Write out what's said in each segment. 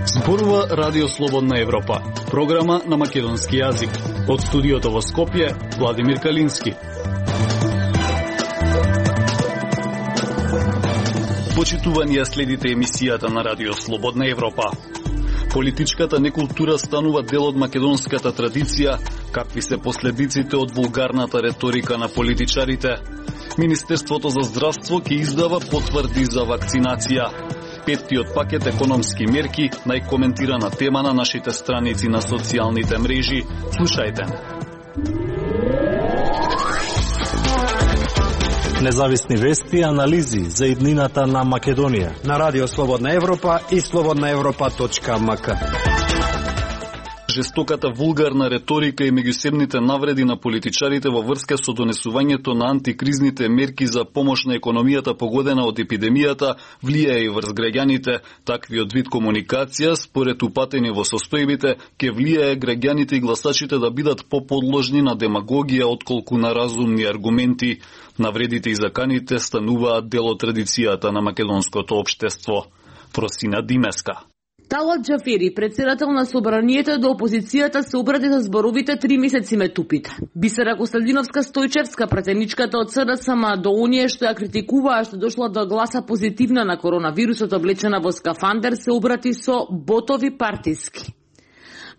Зборува Радио Слободна Европа, програма на македонски јазик. Од студиото во Скопје, Владимир Калински. Почитувани ја следите емисијата на Радио Слободна Европа. Политичката некултура станува дел од македонската традиција, какви се последиците од вулгарната реторика на политичарите. Министерството за здравство ќе издава потврди за вакцинација. Петтиот пакет економски мерки, најкоментирана тема на нашите страници на социјалните мрежи. Слушајте. Независни вести и анализи за иднината на Македонија на Радио Слободна Европа и slobodnaevropa.mk. Жестоката вулгарна реторика и меѓусебните навреди на политичарите во врска со донесувањето на антикризните мерки за помош на економијата погодена од епидемијата влијае и врз граѓаните. Таквиот вид комуникација, според упатени во состојбите, ќе влијае граѓаните и гласачите да бидат поподложни на демагогија отколку на разумни аргументи. Навредите и заканите стануваат дел од традицијата на македонското општество. Просина Димеска. Талат Џафери, председател на собранието до опозицијата, се обради за зборовите 3 месеци ме тупите. Бисера Костадиновска Стојчевска, пратеничката од СДСМ до оние што ја критикуваа што дошла до гласа позитивна на коронавирусот облечена во скафандер, се обрати со ботови партиски.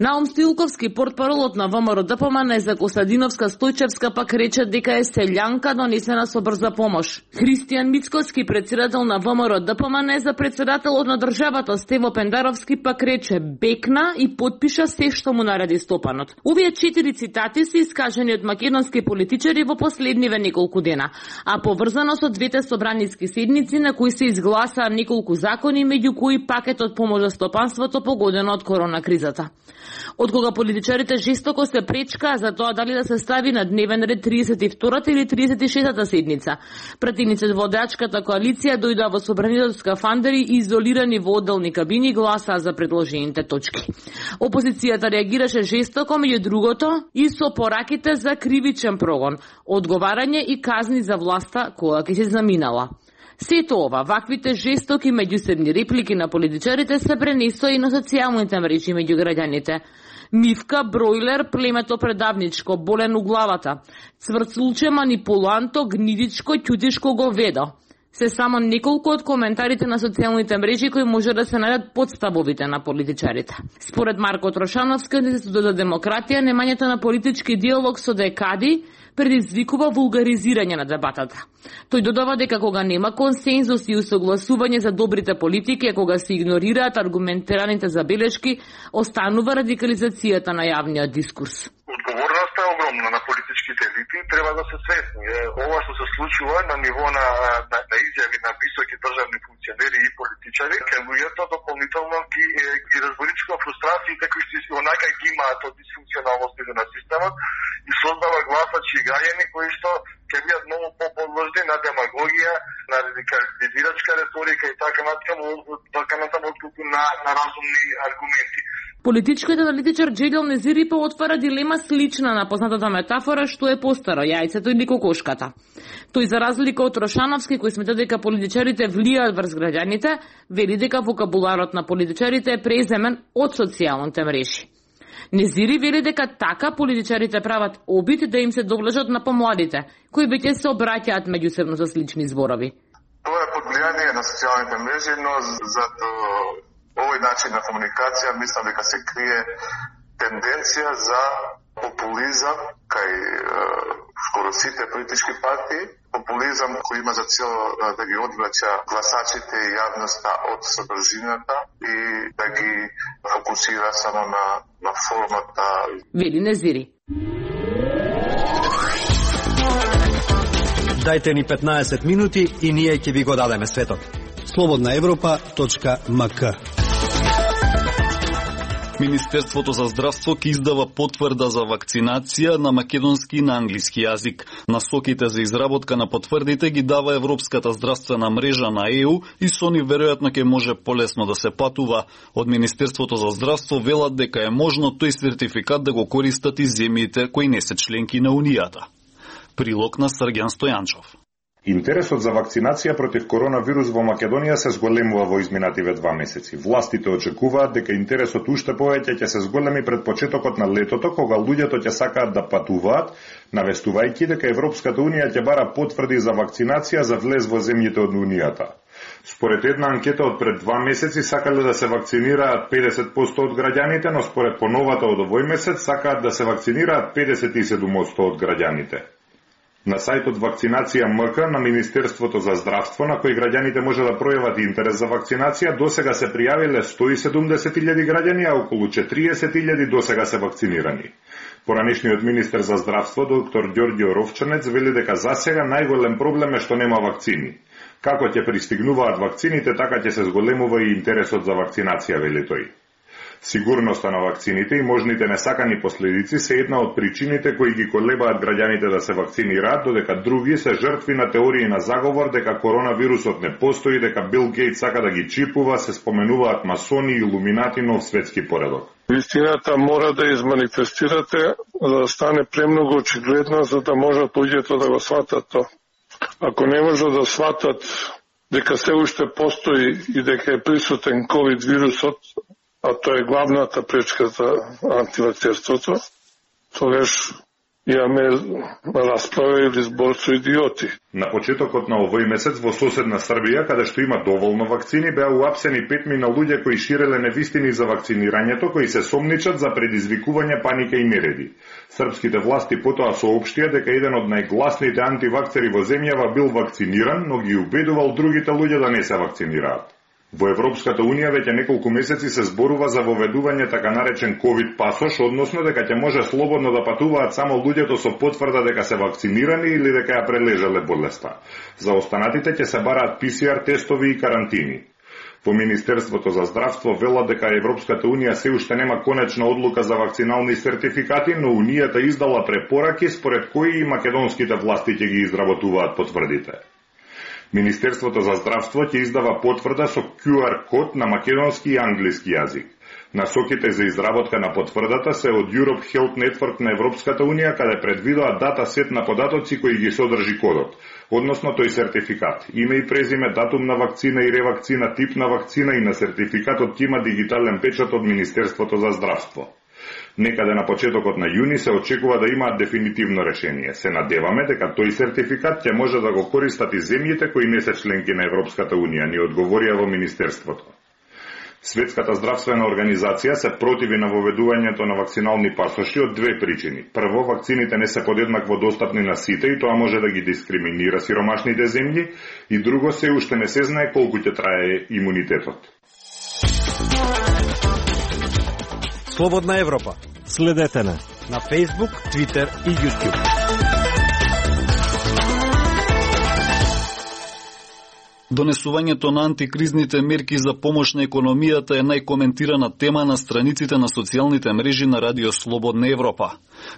Наум Стилковски, портпаролот на ВМРО ДПМН за Костадиновска Стојчевска, пак рече дека е селјанка донесена со брза помош. Христијан Мицкоски, председател на ВМРО ДПМН за председателот на државата Стево Пендаровски, пак рече бекна и потпиша се што му нареди Стопанот. Овие 4 цитати се искажани од македонски политичари во последниве неколку дена, а поврзано со двете собраниски седници на кои се изгласаа неколку закони, меѓу кои пакетот помош за стопанството погодено од корона кризата. Од кога политичарите жестоко се пречкаа за тоа дали да се стави на дневен ред 32-та или 36-та седница. Пратениците во водачката коалиција дојдоа во собранието скафандери и изолирани во одделни кабини гласаа за предложените точки. Опозицијата реагираше жестоко, меѓу другото и со пораките за кривичен прогон, одговарање и казни за власта која ќе се заминала. Сето ова, ваквите жестоки меѓусебни реплики на политичарите се пренесоа и на социјалните мрежи меѓу граѓаните. Мивка, бројлер, племето предавничко, болен у главата, цврцулче, манипуланто, гнидичко, ќутишко говедо. Се само неколку од коментарите на социјалните мрежи кои може да се најдат под стабовите на политичарите. Според Марко Трошановски, Институтот за демократија, немањето на политички диалог со декади предизвикува вулгаризирање на дебатата. Тој додава дека кога нема консензус и усогласување за добрите политики, а кога се игнорираат аргументираните забелешки, останува радикализацијата на јавниот дискурс. Одговорноста е огромна на политичките елити, треба да се свесни. Ова што се случува на ниво на изјави на високи државни функционери и политичари, кај луѓето дополнително ги разборичува фрустрациите кои што онака ги имаат од дисфункционалностите на системот и создава гласачи и граѓани кои што ќе бидат многу поподложни на демагогија, на радикализирачка реторика и така натаму отколку на разумни аргументи. Политичкиот аналитичар Џелјал Незирипа отвара дилема слична на познатата метафора што е постаро, јајцето или кокошката. Тој, за разлика од Трошановски, кој смета дека политичарите влијаат врз граѓаните, вели дека вокабуларот на политичарите е преземен од социјалните мрежи. Незири вели дека така политичарите прават обид да им се доближат на помладите, кои веќе се обраќаат меѓусебно со слични зборови. Тоа е под влијание на социјалните мрежи, но за овој начин на комуникација мислам дека се крие тенденција за популизам кај скоро сите политички партии, популизам кој има за цел да ги одвраќа гласачите и јавноста од содржината и да ги фокусира само на формата. Вели Незири. Дајте ни 15 минути и ние ќе ви го дадеме светот. slobodnaevropa.mk. Министерството за здравство ќе издава потврда за вакцинација на македонски и на англиски јазик. Насоките за изработка на потврдите ги дава Европската здравствена мрежа на ЕУ и со нив веројатно ќе може полесно да се патува. Од Министерството за здравство велат дека е можно тој сертификат да го користат и земјите кои не се членки на Унијата. Прилог на Срѓан Стојанчов. Интересот за вакцинација против коронавирус во Македонија се зголемува во изминативе 2 месеци. Властите очекуваат дека интересот уште повеќе ќе се зголеми пред почетокот на летото, кога луѓето ќе сакаат да патуваат, навестувајќи дека Европската унија ќе бара потврди за вакцинација за влез во земјите од Унијата. Според една анкета од пред 2 месеци сакале да се вакцинираат 50% од граѓаните, но според поновата од овој месец сакаат да се вакцинираат 57% од граѓаните. На сајтот Вакцинација МК на Министерството за здравство, на кој граѓаните може да пројават интерес за вакцинација, досега се пријавиле 170.000 граѓани, а околу 40.000 досега се вакцинирани. Поранешниот министер за здравство, доктор Ѓорѓе Ровчанец, вели дека засега најголем проблем е што нема вакцини. Како ќе пристигнуваат вакцините, така ќе се зголемува и интересот за вакцинација, вели тој. Сигурноста на вакцините и можните несакани последици се една од причините кои ги колебаат граѓаните да се вакцинираат, додека други се жртви на теории на заговор дека коронавирусот не постои, дека Бил Гейтс сака да ги чипува, се споменуваат масони и илуминати, нов светски поредок. Вистината мора да изманифестирате, за да стане премногу очигледна, за да можат луѓето да го сватат тоа. Ако не можат да сватат дека се уште постои и дека е присутен ковид вирусот, а тоа е главната пречка за антивакцерството, тогаш имаме расправа или збор со идиоти. На почетокот на овој месец во соседна Србија, каде што има доволно вакцини, беа уапсени 5 луѓе кои ширеле невистини за вакцинирањето, кои се сомничат за предизвикување паника и нереди. Српските власти потоа соопштија дека еден од најгласните антивакцери во земјава бил вакциниран, но ги убедувал другите луѓе да не се вакцинираат. Во Европската унија веќе неколку месеци се зборува за воведување така наречен ковид пасош, односно дека ќе може слободно да патуваат само луѓето со потврда дека се вакцинирани или дека ја прележале болеста. За останатите ќе се бараат ПСР тестови и карантини. Во Министерството за здравство велат дека Европската унија се уште нема конечна одлука за вакцинални сертификати, но унијата издала препораки според кои и македонските власти ќе ги изработуваат потврдите. Министерството за здравство ќе издава потврда со QR код на македонски и англиски јазик. Насоките за изработка на потврдата се од Europe Health Network на Европската унија, каде предвидоа дата сет на податоци кои ги содржи кодот, односно тој сертификат. Име и презиме, датум на вакцина и ревакцина, тип на вакцина и на сертификатот има дигитален печат од Министерството за здравство. Некаде на почетокот на јуни се очекува да имаат дефинитивно решение. Се надеваме дека тој сертификат ќе може да го користат и земјите кои не се членки на Европската унија, ни одговорија во Министерството. Светската здравствена организација се противи на воведувањето на вакцинални пасоши од две причини. Прво, вакцините не се подеднакво достапни на сите и тоа може да ги дискриминира сиромашните земји, и друго, се уште не се знае колку ќе трае имунитетот. Слободна Европа. Следете на Facebook, Twitter и YouTube. Донесувањето на антикризните мерки за помош на економијата е најкоментирана тема на страниците на социјалните мрежи на Радио Слободна Европа.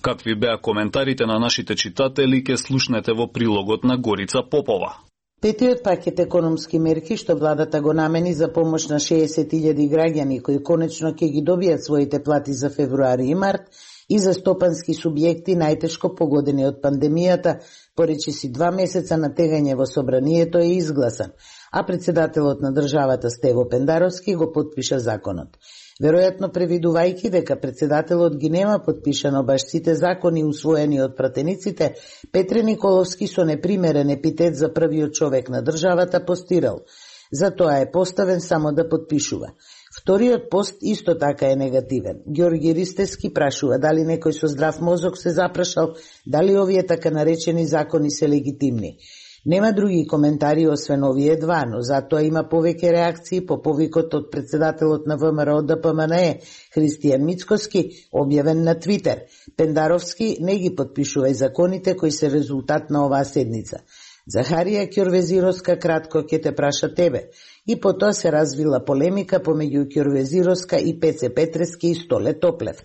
Какви беа коментарите на нашите читатели, ќе слушнете во прилогот на Горица Попова. Петиот пакет економски мерки што владата го намени за помош на 60.000 граѓани кои конечно ќе ги добијат своите плати за февруари и март и за стопански субјекти најтешко погодени од пандемијата, поречиси 2 месеца на тегање во собранието е изгласан, а председателот на државата Стево Пендаровски го потпиша законот. Веројатно превидувајќи дека председателот ги нема потпишано баш сите закони усвоени од пратениците, Петре Николовски со непримерен епитет за првиот човек на државата постирал. Затоа е поставен само да потпишува. Вториот пост исто така е негативен. Ѓорги Ристевски прашува дали некој со здрав мозок се запрашал дали овие така наречени закони се легитимни. Нема други коментари освен овие два, но затоа има повеќе реакции по повикот од председателот на ВМРО ДПМНЕ, Христијан Мицкоски, објавен на Твитер. Пендаровски не ги потпишува и законите кои се резултат на оваа седница. Захарија Ќорвезировска кратко ќе те праша тебе. И потоа се развила полемика помеѓу Ќорвезировска и Пеце Петрески и Столе Топлев.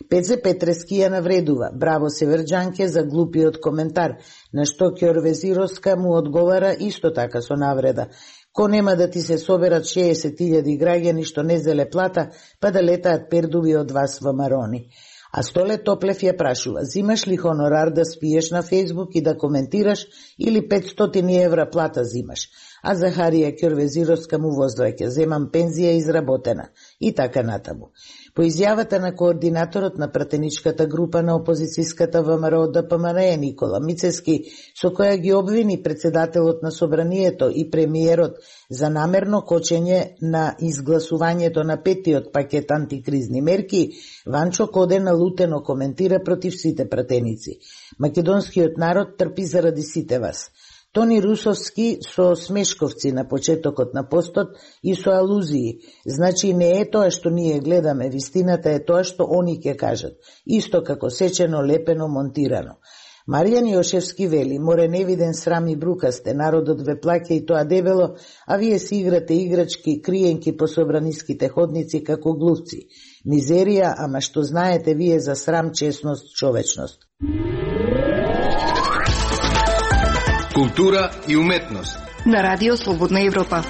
Пеце Петрески ја навредува, браво северџанке за глупиот коментар, на што Ќорвезировска му одговара исто така со навреда. Ко нема да ти се соберат 60.000 граѓани што не зеле плата, па да летаат пердуви од вас во марони. А Столе Топлев ја прашува: зимаш ли хонорар да спиеш на Фејсбук и да коментираш или 500 евра плата зимаш? А Захарија Ќорвезировска му воздваќа: земам пензија изработена и така натаму. По изјавата на координаторот на пратеничката група на опозицијската ВМРО ДПМН Никола Мицевски, со која ги обвини председателот на Собранието и премиерот за намерно кочење на изгласувањето на петиот пакет антикризни мерки, Ванчо Коде налутено коментира против сите пратеници. Македонскиот народ трпи заради сите вас. Тони Русовски со смешковци на почетокот на постот и со алузии. Значи не е тоа што ние гледаме, вистината е тоа што они ќе кажат. Исто како сечено, лепено, монтирано. Маријан Јошевски вели: море невиден срам и брукасте, народот ве плаќа и тоа дебело, а вие си играте играчки, криенки по собраниските ходници како глувци. Мизерија, ама што знаете вие за срам, честност, човечност. Култура и уметност на Радио Слободна Европа.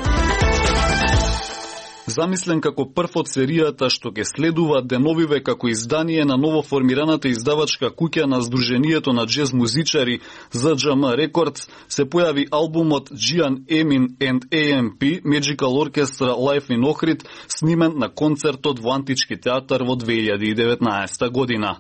Замислен како прв од серијата што ќе следува деновиве како издание на новоформираната издавачка куќа на Сдруженијето на джез музичари ЗДЖМ Records, се појави албумот Gian Emin and AMP Magical Orchestra Live in Ohrid, снимен на концертот во Антички театар во 2019 година.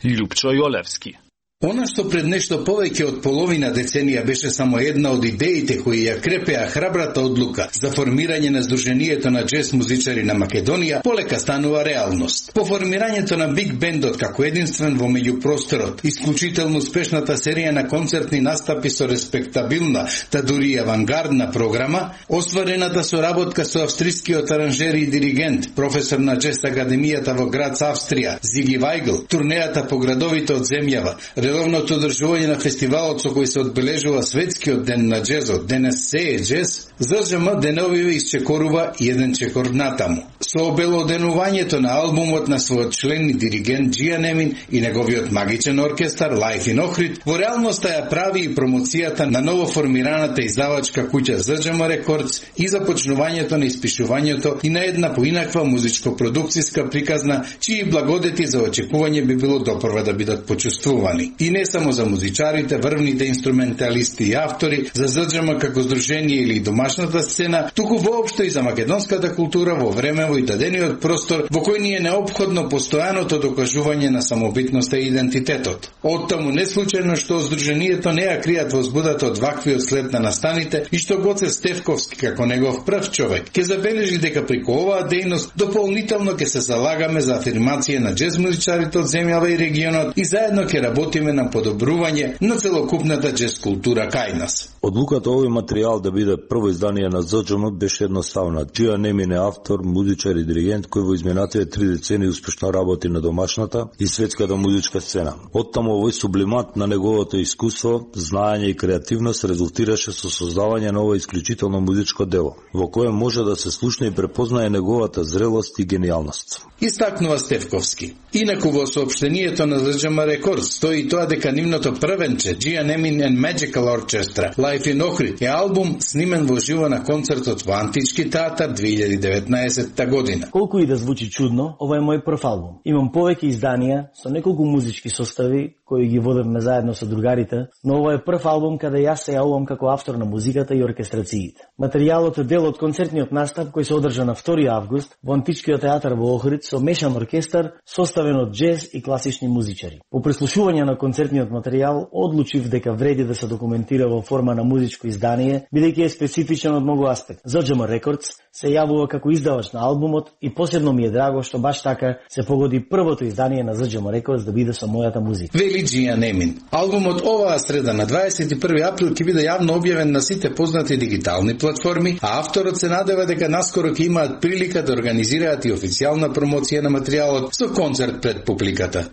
Љупчо Јолевски. Она што пред нешто повеќе од половина деценија беше само една од идеите кои ја крепеа храбрата одлука за формирање на Сдруженијето на джез музичари на Македонија, полека станува реалност. По формирањето на Биг Бендот како единствен во меѓупросторот, исклучително успешната серија на концертни настапи со респектабилна, та дури авангардна програма, остварената соработка со австрискиот аранжер и диригент, професор на джез академијата во Грац, Австрија, Зиги Вајгл, турнејата по градовите од земјава, редовното одржување на фестивалот со кој се одбележува светскиот ден на джезот, денес се е джез, ЗДЖМ деновиве исчекорува еден чекор натаму. Со обелоденувањето на албумот на својот член и диригент Gian Emin и неговиот магичен оркестар Live in Ohrid, во реалноста ја прави и промоцијата на новоформираната издавачка куќа ЗДЖМ Records и започнувањето на испишувањето и на една поинаква музичко-продукцијска приказна, чии благодети за очекување би било допрва да бидат почувствувани. И не само за музичарите, врвните инструменталисти и автори, за ЗДЖМ како здружение или домашната сцена, туку воопшто и за македонската култура во времево и дадениот простор во кој ни е неопходно постојаното докажување на самобитноста и идентитетот. Оттаму не случајно што здруженијето не ја кријат возбудата од ваквиот след на настаните и што Гоце Стефковски како негов прв човек ќе забележи дека преку оваа дејност дополнително ќе се залагаме за афирмација на джез музичарите од земјава и регионот и заедно ќе работиме на подобрување на целокупната джез култура кај нас. Одлуката овој материјал да биде прво издание на ЗДЖМ беше едноставна. Gian Emin е автор, музичар и диригент кој во изминатите 3 децени успешно работи на домашната и светската музичка сцена. Оттаму овој сублимат на неговото искуство, знаење и креативност резултираше со создавање на ова исклучително музичко дело, во кое може да се слушне и препознае неговата зрелост и гениалност. Истакнува Стефковски. Инаку во соопштението на ЗДЖМ Records стои тоа дека нивното првенче Gian Emin and Magical Orchestra Live in Ohrid е албум снимен во живо на концертот во Антички театар 2019 година. Колку и да звучи чудно, ова е мој прв албум. Имам повеќе изданија со неколку музички состави кои ги водевме заедно со другарите, но ова е прв албум каде јас се јавувам како автор на музиката и оркестрациите. Материјалот е дел од концертниот настап кој се одржа на 2 август во Античкиот театар во Охрид со мешан оркестар составен од джез и класични музичари. По преслушување на концертниот материјал одлучив дека вреди да се документира во форма на музичко издание, бидејќи е специфичен од многу аспект. ЗДЖМ Records се јавува како издавач на албумот и посебно ми е драго што баш така се погоди првото издание на ЗДЖМ Records да биде со мојата музика. Вели Gian Emin. Албумот оваа среда на 21 април ќе биде јавно објавен на сите познати дигитални платформи, а авторот се надева дека наскоро ќе имаат прилика да организираат и официјална промоција на материјалот со концерт пред публиката.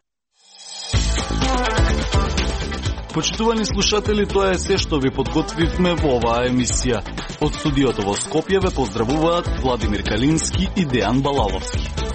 Почитувани слушатели, тоа е се што ви подготвивме во оваа емисија. Од студиото во Скопје ве поздравуваат Владимир Калински и Дејан Балаловски.